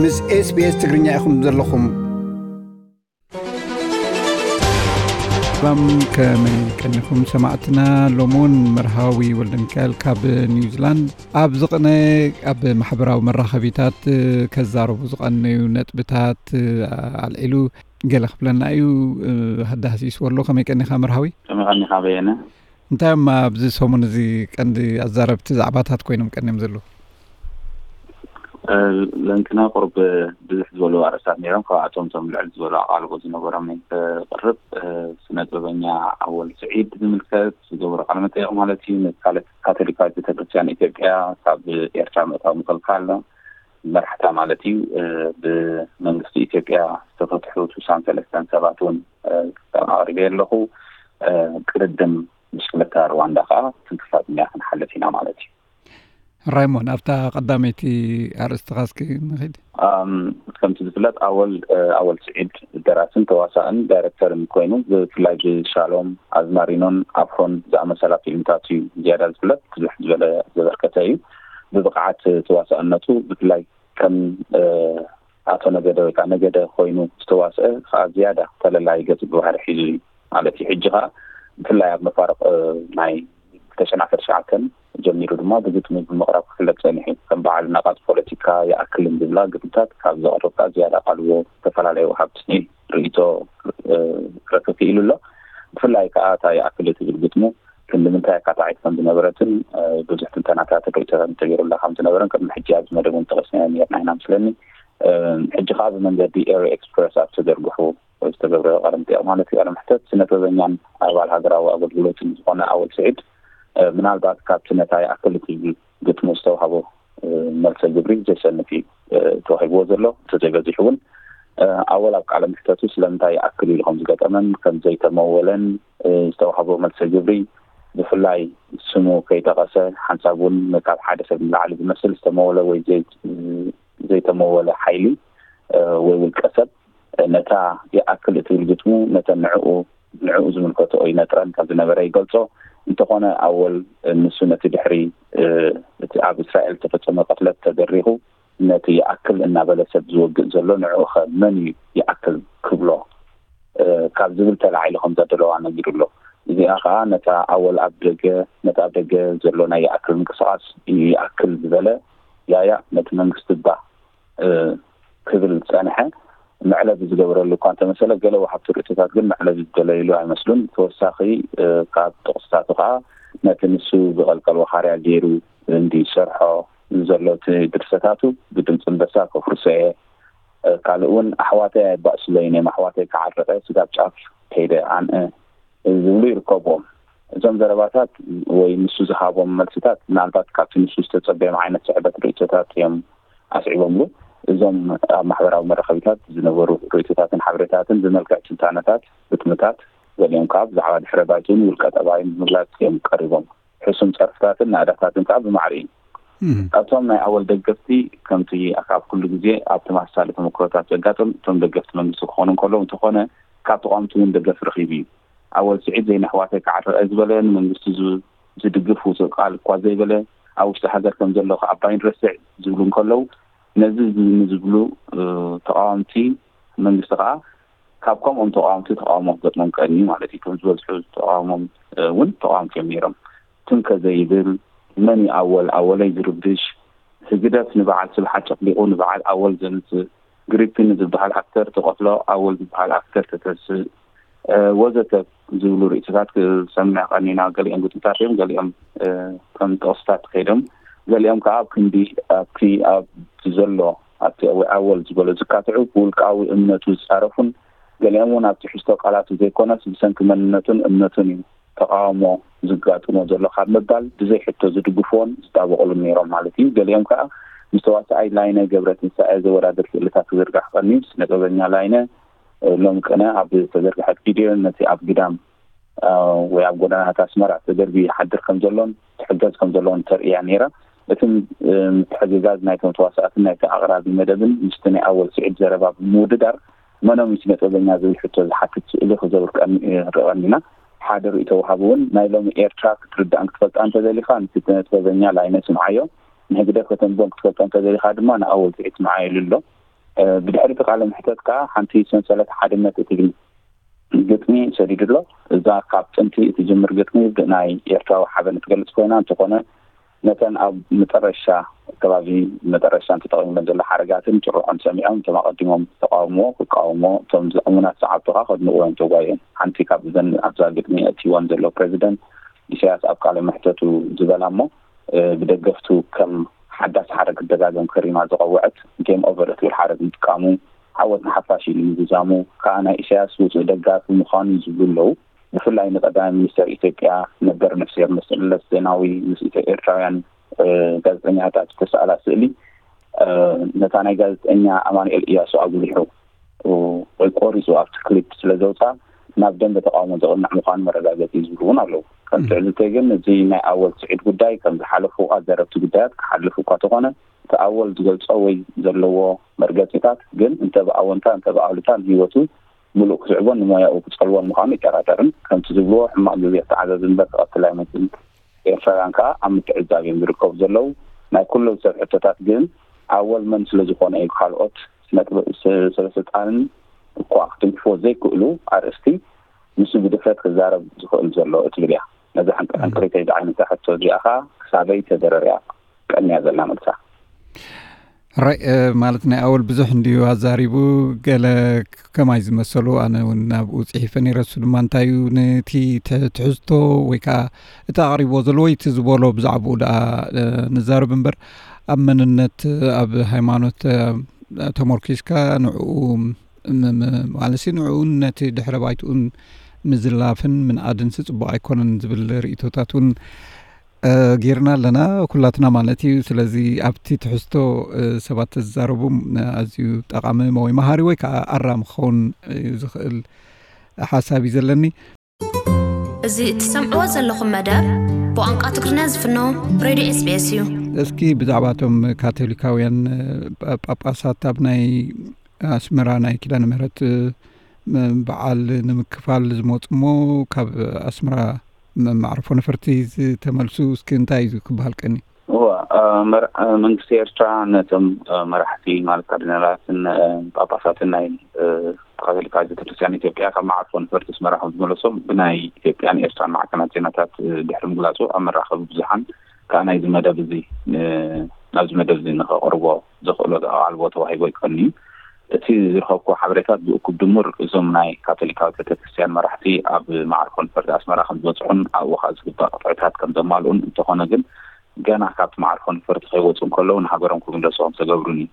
ምስ SBS ትግርኛ ኢኹም ዘለኹም። ሰላም፣ ከመይ ቀኒኹም ሰማዕትና? ሎሚ እውን መርሃዊ ወልደ ሚካኤል ካብ ኒውዚላንድ ኣብ ዝቕነ ኣብ ማሕበራዊ መራኸቢታት ከዛረቡ ዝቐነዩ ነጥብታት ኣልዒሉ ገለ ክብለና እዩ። ሃዳህሲስ ወሎ፣ ከመይ ቀኒኻ መርሃዊ? ከመይ ቀኒኻ በየነ? እንታይ እዮም ኣብዚ ሰሙን እዚ ቀንዲ ኣዛረብቲ ዛዕባታት ኮይኖም ቀኒዮም ዘለዉ? ለንቅነ ቁሩብ ብዝሕ ዝበሉ ኣርእስታት ነይሮም። ካብኣቶም እቶም ልዕል ዝበሉ ኣቓልቦ ዝነበሮም እየ ክቕርብ። ስነ ጥበበኛ ኣወል ስዒድ ዝምልከት ዝገበሮ ቃለ መጠየቕ ማለት እዩ። ንካለ-፣ ካቶሊካዊት ቤተክርስትያን ኢትዮጵያ ካብ ኤርትራ ምእታው ምክልካል፣ መራሕታ ማለት እዩ። ብመንግስቲ ኢትዮጵያ ዝተፈትሑ ስሳን ሰለስተን ሰባት እውን ኣቕሪበ ኣለኹ። ቅድድም ብሽክለታ ሩዋንዳ ከዓ ትንክፋት እኛ ክንሓልፍ ኢና ማለት እዩ። ራይሞን፣ ኣብታ ቀዳመይቲ ኣርእስትኻ እስኪ ንኺድ። ኣም፣ ከምቲ ዝፍለጥ ኣወል፣ እ፣ ኣወል ስዒድ ደራስን ተዋሳእን ዳይሬክተርን ኮይኑ ብፍላይ ብሻሎም ኣዝማሪኖን ኣፍሮን ዝኣመሰላ ፊልምታት እዩ ዝያዳ ዝፍለጥ። ብዙሕ ዝበለ ዘበርከተ እዩ። ብብቕዓት ተዋሳእነቱ ብፍላይ ከም፣ እ፣ ኣቶ ነገደ ወይ ከዓ ነገደ ኮይኑ ዝተዋስአ ከዓ ዝያዳ ተለላይ ገጽ ብባህሪ ሒዙ እዩ ማለት እዩ። ሕጂ ከዓ ብፍላይ ኣብ መፋርቕ፣ እ፣ ናይ ክልተ ሽሕን ዓሰርተ ትሽዓተን ጀሚሩ ድማ ብግጥሚ ብምቕራብ ክፍለጥ ጸኒሑ እዩ። ከም በዓል ናቓጽ ፖለቲካ ይኣክልን ዝብላ ግጥምታት ካብ ዘቕርብ ከዓ ዝያዳ ኣቓልቦ ዝተፈላለዩ ወሃብቲ ርእይቶ፣ እ፣ ክረክብ ክኢሉ ኣሎ። ብፍላይ ከዓ እታ ይኣክል እትብል ግጥሙ ክንዲ ምንታይ ኣካታዒት ከም ዝነበረትን፣ እ፣ ብዙሕ ትንተናታትን ርእይቶታትን ተገይሩላ ከም ዝነበረን ቅድሚ ሕጂ ኣብዚ መደብ እውን ጠቒስናዮ ነይርና ኢና ምስለኒ። እ፣ ሕጂ ከዓ ብመንገዲ ኤሪ ኤክስፕረስ ኣብ ተዘርግሑ ዝተገብረ ቃለ መጠይቕ ማለት እዩ። ቃለ መሕተት ስነ ጥበበኛን ኣባል ሃገራዊ ኣገልግሎትን ዝኾነ ኣወል ስዒድ፣ እ፣ ምናልባት ካብቲ ነታ ይኣክል እትብል ግጥሙ ዝተዋህቦ፣ እ፣ መልሰ ግብሪ ዘሸንፍ እዩ፣ እ፣ ተዋሂብዎ ዘሎ። እንተዘይበዚሑ እውን፣ እ፣ ኣወል ኣብ ቃለ መሕተቱ ስለምንታይ ይኣክል ኢሉ ከም ዝገጠመን ከም ዘይተመወለን፣ እ፣ ዝተዋህቦ መልሰ ግብሪ ብፍላይ ስሙ ከይጠቐሰ ሓንሳብ እውን ካብ ሓደ ሰብ ንላዕሊ ዝመስል ዝተመወለ ወይ ዘይ-፣ ዘይተመወለ ሓይሊ፣ እ፣ ወይ ውልቀ ሰብ ነታ ይኣክል እትብል ግጥሙ ነተን ንዕኡ፣ ንዕኡ ዝምልከትኦ ይነጥረን ከም ዝነበረ ይገልጾ። እንተኾነ ኣወል ንሱ ነቲ ድሕሪ፣ እ፣ እቲ ኣብ እስራኤል ዝተፈጸመ ቅትለት ተደሪኹ ነቲ ይኣክል እናበለ ሰብ ዝወግእ ዘሎ ንዕኡ ኸ መን እዩ ይኣክል ክብሎ፣ እ፣ ካብ ዝብል ተላዒሉ ከም ዘደለዋ ነጊሩ ኣሎ። እዚኣ ኸኣ ነታ ኣወል ኣብ ደገ፣ ነቲ ኣብ ደገ ዘሎ ናይ ይኣክል ምንቅስቓስ እዩ ይኣክል ዝበለ ያያ ነቲ መንግስቲ እባ፣ እ፣ ክብል ዝጸንሐ መዕለቢ ዝገበረሉ እኳ እንተመሰለ፣ ገለ ወሃብቲ ርእይቶታት ግን መዕለቢ ዝደለይሉ ኣይመስሉን። ተወሳኺ፣ እ፣ ካብ ጥቕስታቱ ከኣ ነቲ ንሱ ዝቐልቀል ወኻርያ ገይሩ እንዲ ዝሰርሖ ዘሎ እቲ ድርሰታቱ ብድምፂ ኣንበሳ ከፍርሶ እየ፣ እ፣ ካልእ እውን ኣሕዋተይ ኣይባእስለይን እዮም፣ ኣሕዋተይ ክዓርቕ እየ፣ ስጋብ ጫፍ ከይደ ኣንእ ዝብሉ ይርከብዎም። እዞም ዘረባታት ወይ ንሱ ዝሃቦም መልስታት ምናልባት ካብቲ ንሱ ዝተጸበዮም ዓይነት ስዕበት ርእይቶታት እዮም ኣስዒቦምሉ። እዞም ኣብ ማሕበራዊ መራኸቢታት ዝነበሩ ርእይቶታትን ሓበሬታትን ብመልክዕ ትንታነታት፣ ግጥምታት፣ ገሊኦም ከኣ ብዛዕባ ድሕረ ባይትኡን ውልቀ ጠባዩን ብምግላጽ እዮም ቀሪቦም። ሕሱም ጸርፍታትን ናእዳታትን ከኣ ብማዕረ እዩ። እም። ካብቶም ናይ ኣወል ደገፍቲ፣ ከምቲ ኣብ ኩሉ ግዜ ኣብ ተመሳሳሊ ተመክሮታት ዘጋጥም፣ እቶም ደገፍቲ መንግስቲ ክኾኑ እንከለዉ፣ እንተኾነ ካብ ተቓወምቲ እውን ደገፍ ረኺቡ እዩ። ኣወል ስዒድ ዘይነሕዋተይ ክዓርቕ እየ ዝበለ፣ ንመንግስቲ ዝ-፣ ዝድግፍ ውጹእ ቃል እኳ ዘይበለ፣ ኣብ ውሽጢ ሃገር ከም ዘሎ ከኣ ባይን ረስዕ ዝብሉ እንከለዉ፣ ነዚ ዝ-፣ ንዝብሉ፣ እ፣ ተቓወምቲ መንግስቲ ከኣ ካብ ከምኦም ተቓወምቲ ተቓውሞ ክገጥሞም ቀንዩ ማለት እዩ። እቶም ዝበዝሑ ተቓውሞም፣ እ፣ እውን ተቓወምቲ እዮም ነይሮም። ትም ከዘይብል፣ መን እዩ ኣወል፣ ኣወለይ ዝርብሽ፣ ህግደፍ ንበዓል ስብሓት ጨፍሊቑ ንበዓል ኣወል ዘምጽእ፣ ግሪፒን ዝበሃል ኣክተር ትቐትሎ፣ ኣወል ዝበሃል ኣክተር ተተስእ፣ እ፣ ወዘተ ዝብሉ ርእይቶታት ክሰምዕ ቀኒና። ገሊኦም ግጥምታት እዮም፣ ገሊኦም፣ እ፣ ከም ጥቕስታት ከይዶም፣ ገሊኦም ከኣ ኣብ ክንዲ ኣብቲ፣ ኣብቲ ዘሎ፣ ኣብቲ ኣወል ዝበሎ ዝካትዑ፣ ብውልቃዊ እምነቱ ዝጻረፉን፣ ገሊኦም እውን ኣብ ትሕዝቶ ቃላቱ ዘይኮነስ ብሰንኪ መንነቱን እምነቱን እዩ ተቓውሞ ዝጋጥሞ ዘሎ ካብ ምባል ብዘይ ሕቶ ዝድግፍዎን ዝጣበቕሉን ነይሮም ማለት እዩ። ገሊኦም ከኣ ምስ ተዋሳኣይ ላይነ ገብረትንሳኤ ዘወዳድር ስእልታት ክዝርጋሕ ቀንዩ፣ ስነ ጥበበኛ ላይነ፣ እ፣ ሎሚ ቅነ ኣብ ዝተዘርግሐት ቪድዮ ነቲ ኣብ ግዳም፣ እ፣ ወይ ኣብ ጎደናታት ኣስመራ ተደርብዩ ይሓድር ከም ዘሎን ትሕገዝ ከም ዘሎን ተርእያ ነይራ። እቲ፣ እ፣ ምትሕግጋዝ ናይቶም ተዋሳእትን ናይቲ ኣቕራቢ መደብን ምስቲ ናይ ኣወል ስዒድ ዘረባ ብምውድዳር መኖም እዩ ስነ ጥበበኛ ዝብል ሕቶ ዝሓትት ስእሊ ክዘውር ቀኒ-፣ ንርኢ ቀኒና። ሓደ ርእይቶ ወሃቢ እውን ናይ ሎሚ ኤርትራ ክትርዳእን ክትፈልጣ እንተደሊኻ ንስነ ጥበበኛ ላይነ ስምዓዮ፣ ንህግደፍ ከተንብቦን ክትፈልጦ እንተደሊኻ ድማ ንኣወል ስዒድ ስምዓዮ ኢሉ ኣሎ። ብድሕሪ እቲ ቃለ መሕተት ከዓ ሓንቲ ሰንሰለት ሓድነት እትብል ግጥሚ ሰዲዱ ኣሎ። እዛ ካብ ጥንቲ እትጅምር ግጥሚ ብናይ ኤርትራዊ ሓበን እትገልጽ ኮይና፣ እንተኾነ ነተን ኣብ መጠረሻ ከባቢ መጠረሻ ተጠቒምለን ዘሎ ሓረጋትን ጭርሖን ሰሚዖም፣ እቶም ኣቐዲሞም ተቃውሞ ክቃወሞ፣ እቶም እሙናት ሰዓብቱ ከዓ ከድንቑ እዮም ተጓዮም። ሓንቲ ካብ እዘን ኣብዛ ግጥሚ ኣእትይወን ዘሎ ፕረዚደንት ኢሳያስ ኣብ ቃለ መሕተቱ ዝበላ እሞ ብደገፍቱ ከም ሓዳስ ሓረግ ክደጋገም ከሪማ ዝቐወዐት ጌም ኦቨር እትብል ሓረግ ምጥቃሙ፣ ዓወት ንሓፋሽ ኢሉ ምዝዛሙ ከዓ ናይ ኢሳያስ ውፁእ ደጋፊ ምዃኑ እዩ ዝብሉ ኣለዉ። ብፍላይ ንቀዳማይ ሚኒስተር ኢትዮጵያ ነበር ነፍስሔር መለስ ዜናዊ ምስ ኢትዮ ኤርትራውያን ጋዜጠኛታት ዝተሰኣላ ስእሊ ነታ ናይ ጋዜጠኛ ኣማኑኤል እያሱ ኣጉሊሑ ወይ ቆሪፁ ኣብቲ ክሊፕ ስለ ዘውፅኣ ናብ ደንበ ተቃውሞ ዘቕንዕ ምዃኑ መረጋገፂ ዝብሉ እውን ኣለዉ። ከም ትዕዝብተይ ግን እዚ ናይ ኣወል ስዒድ ጉዳይ ከም ዝሓለፉ ኣዘረብቲ ጉዳያት ክሓልፍ እኳ ተኾነ እቲ ኣወል ዝገልፆ ወይ ዘለዎ መርገፂታት ግን እንተ ብኣወንታ እንተ ብኣሉታ ንህይወቱ ምሉእ ክስዕቦን ንሞያኡ ክፀልዎን ምዃኑ ይጠራጠርን። ከምቲ ዝብልዎ ሕማቕ ግዜ ክተዓዘዝ እምበር ክቐትል ኣይመፅን። ኤርትራውያን ከዓ ኣብ ምትዕዛብ እዮም ዝርከቡ ዘለዉ። ናይ ኩሎም ሰብ ሕቶታት ግን ኣወል መን ስለ ዝኾነ እዩ ካልኦት ስነ ጥበብ ሰበስልጣንን እኳ ክትንክፎ ዘይክእሉ ኣርእስቲ ንሱ ብድፍረት ክዛረብ ዝኽእል ዘሎ እትብል እያ። ነዛ ሕንቅሕንቅሪተይ ዝዓይነታ ሕቶ እዚኣ ከዓ ክሳበይ ተደረርያ ቀንያ ዘላ መልሳ። ራይ ማለት ናይ ኣወል ብዙሕ እንድዩ ኣዛሪቡ። ገለ ከማይ ዝመሰሉ ኣነ እውን ናብኡ ፅሒፈ ነይረ። እሱ ድማ እንታይ እዩ ነቲ ትሕዝቶ ወይ ከዓ እቲ ኣቕሪቦ ዘሎ ወይ እቲ ዝበሎ ብዛዕባኡ ደኣ ንዛረብ እምበር ኣብ መንነት ኣብ ሃይማኖት ተመርኪስካ ንዕኡ ማለት ንዕኡን ነቲ ድሕረ ባይትኡን ምዝላፍን ምንኣድንሲ ፅቡቕ ኣይኮነን ዝብል ርእቶታት እውን ጌርና ኣለና ኩላትና ማለት እዩ። ስለዚ ኣብቲ ትሕዝቶ ሰባት ተዛረቡ ኣዝዩ ጠቓሚ ወይ መሃሪ ወይ ከዓ ኣራሚ ክኸውን ዝኽእል ሓሳብ እዩ ዘለኒ። እዚ እትሰምዕዎ ዘለኹም መደብ ብቋንቋ ትግርኛ ዝፍኖ ሬድዮ ኤስቢኤስ እዩ። እስኪ ብዛዕባ እቶም ካቶሊካውያን ጳጳሳት ኣብ ናይ ኣስመራ ናይ ኪዳነ ምህረት በዓል ንምክፋል ዝመፁ እሞ ካብ ኣስመራ መዕርፎ ነፈርቲ ዝተመልሱ እስኪ እንታይ እዩ ክበሃል ቀኒ? እዋ መንግስቲ ኤርትራ ነቶም መራሕቲ ማለት ካርዲናላትን ጳጳሳትን ናይ ካቶሊካዊት ቤተክርስትያን ኢትዮጵያ ካብ መዓርፎ ነፈርቲ ኣስመራ ከም ዝመለሶም ብናይ ኢትዮጵያን ኤርትራን ማዕከናት ዜናታት ድሕሪ ምግላፁ ኣብ መራኸቢ ብዙሓን ከዓ ናይዚ መደብ እዚ ናብዚ መደብ እዚ ንኸቕርቦ ዘኽእሎ ኣቓልቦ ተዋሂቦ ይቀንዩ። እቲ ዝረኸብኩዎ ሓበሬታት ብእኩብ ድሙር እዞም ናይ ካቶሊካዊት ቤተክርስትያን መራሕቲ ኣብ መዓርፎ ነፈርቲ ኣስመራ ከም ዝበፅሑን ኣብኡ ከዓ ዝግባእ ቅጥዕታት ከም ዘማልኡን እንተኾነ ግን ገና ካብቲ መዓርፎ ነፈርቲ ከይወፁ እንከለዉ ንሃገሮም ክምለሱ ከም ዝተገብሩን እዩ።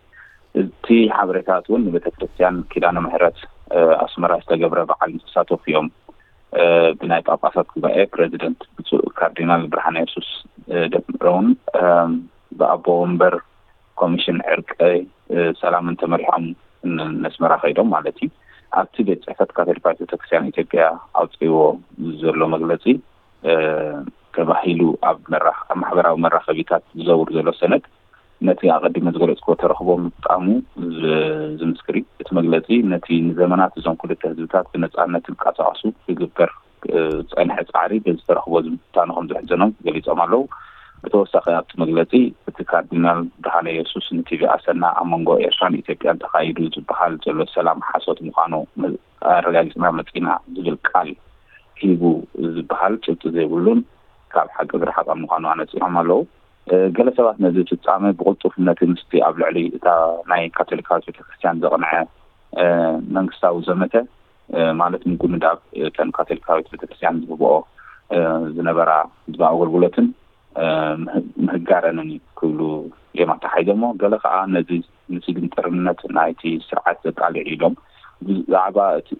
እቲ ሓበሬታት እውን ንቤተክርስትያን ኪዳነ ምሕረት ኣስመራ ዝተገብረ በዓል ዝተሳተፉ እዮም። ብናይ ጳጳሳት ጉባኤ ፕረዚደንት ብፁዕ ካርዲናል ብርሃነ የሱስ ደምረውን ብኣቦ ወንበር ኮሚሽን ዕርቂ ሰላምን ተመሪሖም ነስመራ ከይዶም ማለት እዩ። ኣብቲ ቤት ፅሕፈት ካቶሊካዊት ቤተክርስትያን ኢትዮጵያ ኣውፅእዎ ዘሎ መግለፂ ተባሂሉ ኣብ ማሕበራዊ መራኸቢታት ዝዘውር ዘሎ ሰነድ ነቲ ኣቐዲመ ዝገለፅኩዎ ተረኽቦ ምጥቃሙ ዝምስክር እዩ። እቲ መግለፂ ነቲ ንዘመናት እዞም ክልተ ህዝብታት ብነፃነት ክንቀሳቐሱ ክግበር ዝፀንሐ ፃዕሪ በዚ ተረኽቦ እዚ ምፍታኑ ከም ዘሕዘኖም ገሊፆም ኣለዉ። ብተወሳኺ ኣብቲ መግለፂ እቲ ካርዲናል ብርሃነ የሱስ ንቲቪ ኣሰና ኣብ መንጎ ኤርትራን ኢትዮጵያን ተኻይዱ ዝበሃል ዘሎ ሰላም ሓሶት ምዃኑ ኣረጋጊፅና መፂና ዝብል ቃል ሂቡ ዝበሃል ጭብጢ ዘይብሉን ካብ ሓቂ ዝረሓቐ ምዃኑ ኣነፂሮም ኣለዉ። ገለ ሰባት ነዚ ፍጻመ ብቕልጡፍ ነቲ ምስቲ ኣብ ልዕሊ እታ ናይ ካቶሊካዊት ቤተክርስትያን ዘቕንዐ መንግስታዊ ዘመተ ማለት ምጉንዳብ እተን ካቶሊካዊት ቤተክርስትያን ዝህብኦ ዝነበራ ዝባ ኣገልግሎትን ምህጋረንን ክብሉ እዮም ኣተሓሒዞሞ። ገለ ከዓ ነዚ ንስግንጥርነት ናይቲ ስርዓት ዘቃልዕ ኢሎም ብዛዕባ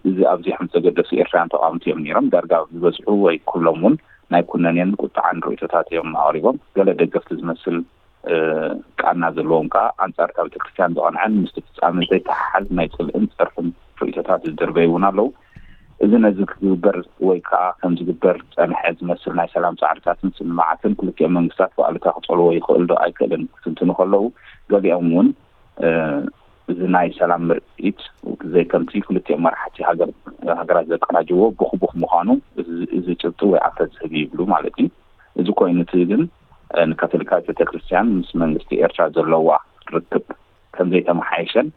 እዚ ኣብዚ ከም ዝተገደሱ ኤርትራውያን ተቃወምቲ እዮም ነይሮም። ዳርጋ ዝበዝሑ ወይ ኩሎም እውን ናይ ኩነኔን ቁጥዓን ርእይቶታት እዮም ኣቕሪቦም። ገለ ደገፍቲ ዝመስል ቃና ዘለዎም ከዓ ኣንጻር እታ ቤተክርስትያን ዝቐንዐን ምስቲ ፍጻመ ዘይተሓሓዝ ናይ ጽልእን ጸርፍን ርእይቶታት ዝድርበዩ እውን ኣለዉ። እዚ ነዚ ክግበር ወይ ከዓ ከም ዝግበር ዝጸንሐ ዝመስል ናይ ሰላም ጻዕርታትን ስምምዓትን ክልቲኦም መንግስታት ብኣሉታ ክጸልዎ ይኽእል ዶ ኣይክእልን ክትንትኑ ከለዉ፣ ገሊኦም እውን እዚ ናይ ሰላም ምርኢት ዘይከምቲ ክልቲኦም መራሕቲ ሃገራት ዘቀናጀዎ ብኹቡኽ ምዃኑ እዚ ጭብጢ ወይ ኣፈ ዝህብ ይብሉ ማለት እዩ። እዚ ኮይኑ እቲ ግን ንካቶሊካዊት ቤተክርስትያን ምስ መንግስቲ ኤርትራ ዘለዋ ርክብ ከምዘይተመሓየሸን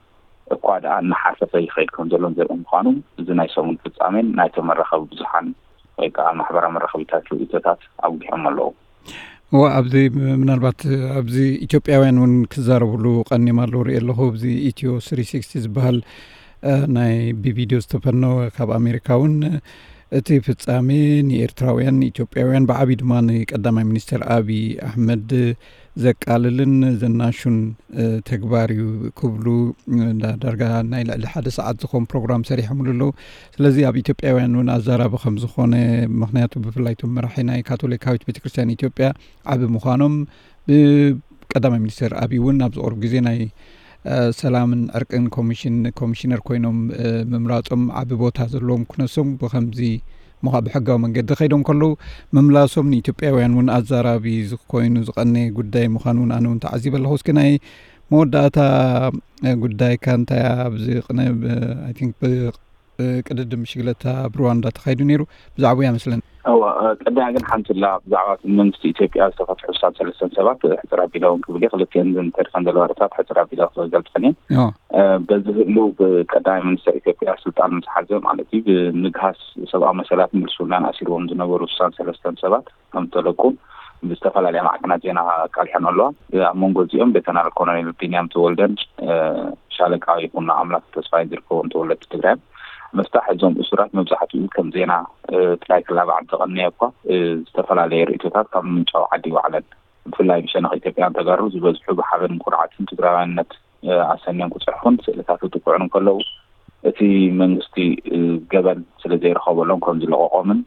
እኳ ደኣ እናሓሰፈ ይኸይድ ከም ዘሎን ዘርኢ ምዃኑ፣ እዚ ናይ ሰሙን ፍጻሜን ናይቶም መራኸቢ ብዙሓን ወይ ከዓ ማሕበራዊ መራኸቢታት ርእይቶታት ኣጉሊሖም ኣለዉ። እዋ፣ ኣብዚ ምናልባት ኣብዚ ኢትዮጵያውያን እውን ክዛረብሉ ቀኒም ኣለዉ ርኢ ኣለኹ። ኣብዚ ኢትዮ ስሪ ሲክስቲ ዝበሃል፣ እ፣ ናይ ብቪድዮ ዝተፈነወ ካብ ኣሜሪካ እውን፣ እቲ ፍጻሜ ንኤርትራውያን፣ ንኢትዮጵያውያን፣ ብዓቢ ድማ ንቀዳማይ ሚኒስትር ኣቢ ኣሕመድ ዘቃልልን ዘናሹን፣ እ፣ ተግባር እዩ ክብሉ፣ እ፣ ዳ-፣ ዳርጋ ናይ ልዕሊ ሓደ ሰዓት ዝኾን ፕሮግራም ሰሪሖምሉ ኣለዉ። ስለዚ ኣብ ኢትዮጵያውያን እውን ኣዛራቢ ከም ዝኾነ፣ ምኽንያቱ ብፍላይ እቶም መራሒ ናይ ካቶሊካዊት ቤተክርስትያን ኢትዮጵያ ዓቢ ምዃኖም፣ ብቀዳማይ ሚኒስትር ኣቢ እውን ኣብዚ ቁሩብ ግዜ ናይ፣ እ፣ ሰላምን ዕርቅን ኮሚሽን፣ ኮሚሽነር ኮይኖም፣ እ፣ ምምራጾም ዓቢ ቦታ ዘለዎም ክነሶም ብኸምዚ ምዃ-፣ ብሕጋዊ መንገዲ ከይዶም ከለዉ ምምላሶም ንኢትዮጵያውያን እውን ኣዛራቢ ኮይኑ ዝቐነ ጉዳይ ምዃኑ እውን ኣነ እውን ተዓዚበ ኣለኹ። እስኪ ናይ መወዳእታ፣ እ፣ ጉዳይካ እንታይ እያ? ኣብዚ ቅነ-፣ ብ-፣ I think ብ-፣ እ፣ ቅድድም ብሽግለታ ኣብ ሩዋንዳ ተኻይዱ ነይሩ። ብዛዕባኡ እያ መስለኒ። እዋ፣ እ፣ ቅድሚያ ግን ሓንቲ ላ ብዛዕባ እቲ መንግስቲ ኢትዮጵያ ዝተፈትሑ ስሳን ሰለስተን ሰባት፣ እ፣ ሕጽር ኣቢለ እውን ክብል እየ። ክልቲአን ዝንተድ ከም ዘለዋ ርታት ሕጽር ኣቢለ ክገልጸን እየ። እዋ። እ፣ በዚ ህሉ ብቀዳማይ ሚኒስትር ኢትዮጵያ ስልጣን ምስ ሓዘ ማለት እዩ፣ ብምግሃስ ሰብኣዊ መሰላት ምልሱናን ኣሲርዎም ዝነበሩ ስሳን ሰለስተን ሰባት ከም ዝተለቁ ብዝተፈላለያ ማዕከናት ዜና ኣቃሊሐን ኣለዋ። ኣብ መንጎ እዚኦም ሌተናል ኮሎኔል ቢንያም ተወልደን፣ እ፣ ሻለቃ ይኹኖ ኣምላክ ተስፋይ ዝርከቦም ተወለድቲ ትግራይ። ምስታሕ እዞም እሱራት መብዛሕትኡ ከም ዜና፣ እ፣ ጥራይ ክላባዕ እንተቐነየ እኳ፣ እ፣ ዝተፈላለየ ርእይቶታት ካብ ምንጫው ዓዲ ይወዓለን። ብፍላይ ብሸነኽ ኢትዮጵያን ተጋሩ ዝበዝሑ ብሓበን ኩርዓትን ትግራዋይነት፣ እ፣ ኣሰንዮም ክጽሕፉን ስእልታት ክጥቅዑን እንከለዉ፣ እቲ መንግስቲ፣ እ፣ ገበን ስለ ዘይረኸበሎም ከም ዝለቐቖምን፣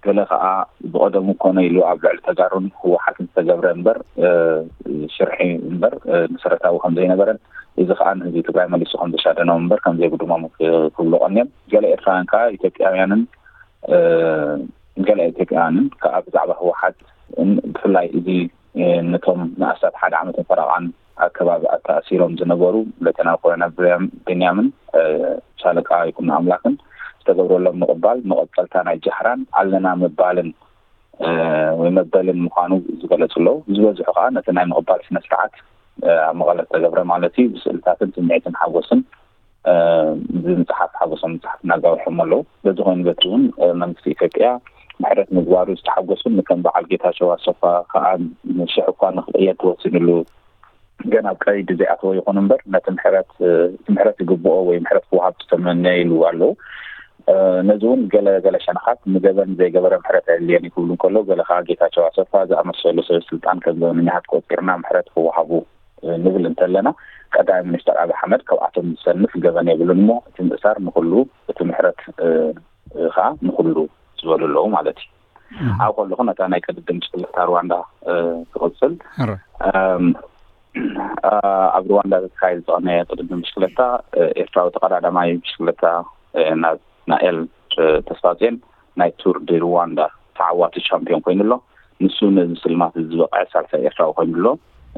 ገለ ከኣ ብቐደሙ ኮነ ኢሉ ኣብ ልዕሊ ተጋሩን ህወሓትን ዝተገብረ እምበር፣ እ፣ ሽርሒ እምበር፣ እ፣ መሰረታዊ ከም ዘይነበረን፣ እዚ ከኣ ንህዝቢ ትግራይ መሊሱ ከም ዘሻደኖም እምበር ከም ዘይብድሞም ክ-፣ ክብሉ ቀንዮም። ገለ ኤርትራውያን ከኣ ኢትዮጵያውያንን፣ እ፣ ገለ ኢትዮጵያውያንን ከኣ ብዛዕባ ህወሓት፣ ን-፣ ብፍላይ እዚ፣ እ፣ ነቶም ንኣስታት ሓደ ዓመትን ፈረቓን ኣብ ከባቢ ኣተኣሲሮም ዝነበሩ ሌተናል ኮሎኔል ብንያም-፣ ብንያምን፣ እ፣ ሻለቃ ይኩኖ ኣምላክን ዝተገብረሎም ምቕባል መቐጸልታ ናይ ጃህራን ኣለና ምባልን፣ እ፣ ወይ መበልን ምዃኑ ዝገለጹ ኣለዉ። ዝበዝሑ ከኣ ነቲ ናይ ምቕባል ስነ ስርዓት፣ እ፣ ኣብ መቐለ ዝተገብረ ማለት እዩ፣ ብስእልታትን ስምዒትን ሓጎስን፣ እ፣ ብምጽሓፍ ሓጎሶም ምጽሓፍ እናጋውሖም ኣለዉ። በዚ ኮይኑ በቲ እውን፣ እ፣ መንግስቲ ኢትዮጵያ ምሕረት ምግባሩ ዝተሓጎሱን ንከም በዓል ጌታቸው ኣሰፋ ከኣ ንሽሕ እኳ ንክቕየድ ተወሲኑሉ ገና ኣብ ቀይዲ ዘይኣተወ ይኹን እምበር፣ ነቲ ምሕረት፣ እ፣ እቲ ምሕረት ይግብኦ ወይ ምሕረት ክወሃብ ዝተመነይሉ ኣለዉ። እ፣ ነዚ እውን ገለ፣ ገለ ሸነኻት ንገበን ዘይገበረ ምሕረት ኣየድልየን እዩ ክብሉ እንከለዉ፣ ገለ ከኣ ጌታቸው ኣሰፋ ዝኣመሰሉ ሰብ ስልጣን ከም ገበነኛታት ቆጺርና ምሕረት ክወሃቡ፣ እ፣ ንብል እንተለና፣ ቀዳማይ ሚኒስተር ኣብይ ኣሕመድ ካብኣቶም ዝሰንፍ ገበን የብሉን እሞ፣ እቲ ምእሳር ንኹሉ፣ እቲ ምሕረት፣ እ፣ እ፣ ከኣ ንኹሉ ዝበሉ ኣለዉ ማለት እዩ። እህ። ኣብ ከለኹ ነታ ናይ ቅድድም ብሽክለታ ሩዋንዳ፣ እ፣ ክቕጽል። ሕረ። እም፣ እ፣ ኣብ ሩዋንዳ ዝተኻየደ ዝቐነየ ቅድድም ብሽክለታ፣ እ፣ ኤርትራዊ ተቐዳዳማይ ብሽክለታ፣ እ፣ ና-፣ ናኤል፣ እ፣ ተስፋጽዮን ናይ ቱር ዲ ሩዋንዳ ተዓዋቲ ቻምፒዮን ኮይኑ ኣሎ። ንሱ ነዚ ስልማት እዚ ዝበቕዐ ሳልሳይ ኤርትራዊ ኮይኑ ኣሎ።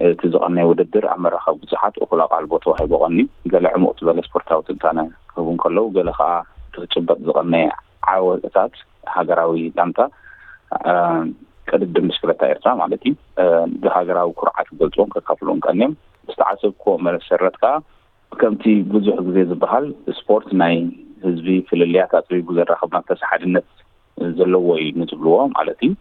እቲ ዝቐነየ ውድድር ኣብ መራኸቢ ብዙሓት እኹል ኣቓልቦ ተዋሂቡ ቀንዩ። ገለ ዕሙቕ ዝበለ ስፖርታዊ ትንታነ ክህቡ እንከለዉ፣ ገለ ከኣ እቲ ክጭበጥ ዝቐነየ ዓወታት ሃገራዊ ጋንታ፣ እ፣ ቅድድም ብሽክለታ ኤርትራ ማለት እዩ፣ እ፣ ብሃገራዊ ኩርዓት ክገልጽዎን ከካፍልዎን ቀንዮም። ዝተዓዘብክዎ መሰረት ከኣ፣ ከምቲ ብዙሕ ግዜ ዝበሃል፣ ስፖርት ናይ ህዝቢ ፍልልያት ኣጽቢቡ ዘራኽብ መንፈስ ሓድነት ዘለዎ እዩ ንዝብልዎ ማለት እዩ።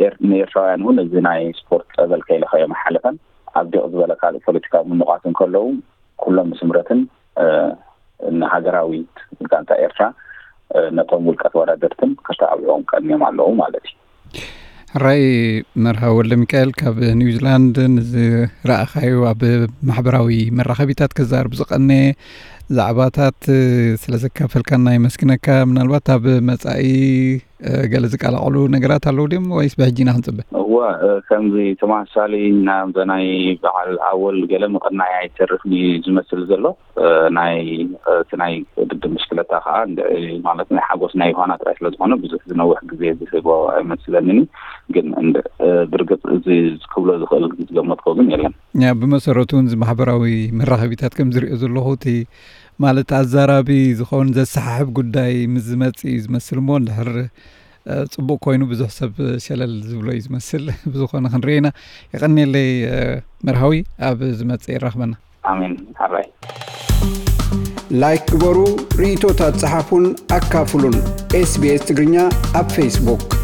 ኤር-፣ ንኤርትራውያን እውን እዚ ናይ ስፖርት ጸበል ከይለኸዮም ኣይሓለፈን። ኣብ ዲቕ ዝበለ ካልእ ፖለቲካዊ ምንቋት እንከለዉ፣ ኩሎም ብስምረትን፣ እ፣ ንሃገራዊት ጋንታ ኤርትራ፣ እ፣ ነቶም ውልቀ ተወዳደርትን ከተባብዕዎም ቀንዮም ኣለዉ ማለት እዩ። ሕራይ መርሃዊ ወልደ ሚካኤል ካብ ኒውዚላንድ፣ ንዝረኣኻዮ ኣብ ማሕበራዊ መራኸቢታት ክዛረብ ዝቐነየ ዛዕባታት ስለ ዘካፈልካና የመስግነካ። ምናልባት ኣብ መጻኢ፣ እ፣ ገለ ዝቀላቐሉ ነገራት ኣለዉ ድዮም ወይስ ብሕጂ ኢና ክንጽበ? እወ፣ እ፣ ከምዚ ተመሳሳሊ ናብዛ ናይ በዓል ኣወል ገለ ምቕናይ ኣይተርፍን እዩ ዝመስል ዘሎ። እ፣ ናይ፣ እ፣ እቲ ናይ ቅድድም ብሽክለታ ከኣ እንድዒ ማለት ናይ ሓጎስ ናይ ዮሃና ጥራይ ስለ ዝኾነ ብዙሕ ዝነውሕ ግዜ ዝህቦ ኣይመስለንን እዩ። ግን እንድ-፣ እ፣ ብርግጽ እዚ ክብሎ ዝኽእል ዝገመትኮ ግን የለን። ያ፣ ብመሰረቱ እውን እዚ ማሕበራዊ መራኸቢታት ከም ዝሪኦ ዘለኹ እቲ ማለት ኣዛራቢ ዝኸውን ዘሰሓሕብ ጉዳይ ምስ ዝመጽእ እዩ ዝመስል እሞ እንድሕር፣ እ፣ ጽቡቕ ኮይኑ ብዙሕ ሰብ ሸለል ዝብሎ እዩ ዝመስል። ብዝኾነ ክንሪኦ ኢና። የቐንየለይ፣ እ፣ መርሃዊ፣ ኣብ ዝመጽእ የራኽበና። ኣሜን። ሓራይ። ላይክ ግበሩ፣ ርእይቶታት ጸሓፉን ኣካፍሉን። SBS ትግርኛ ኣብ ፌስቡክ።